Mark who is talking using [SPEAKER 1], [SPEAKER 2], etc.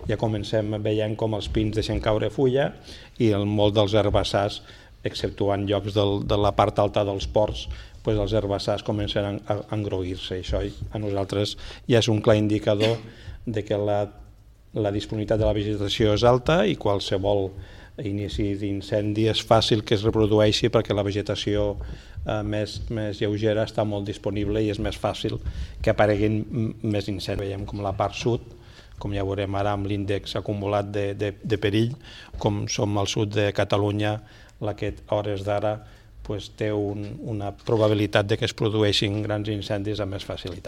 [SPEAKER 1] ja comencem veient com els pins deixen caure fulla i molt dels herbassars, exceptuant llocs de la part alta dels ports, els herbassars comencen a engroguir-se. Això a nosaltres ja és un clar indicador de que la disponibilitat de la vegetació és alta i qualsevol inici d'incendi és fàcil que es reprodueixi perquè la vegetació més lleugera està molt disponible i és més fàcil que apareguin més incendis. Veiem com la part sud, com ja veurem ara amb l'índex acumulat de perill, com som al sud de Catalunya, la que a hores d'ara té una probabilitat de que es produeixin grans incendis amb més facilitat.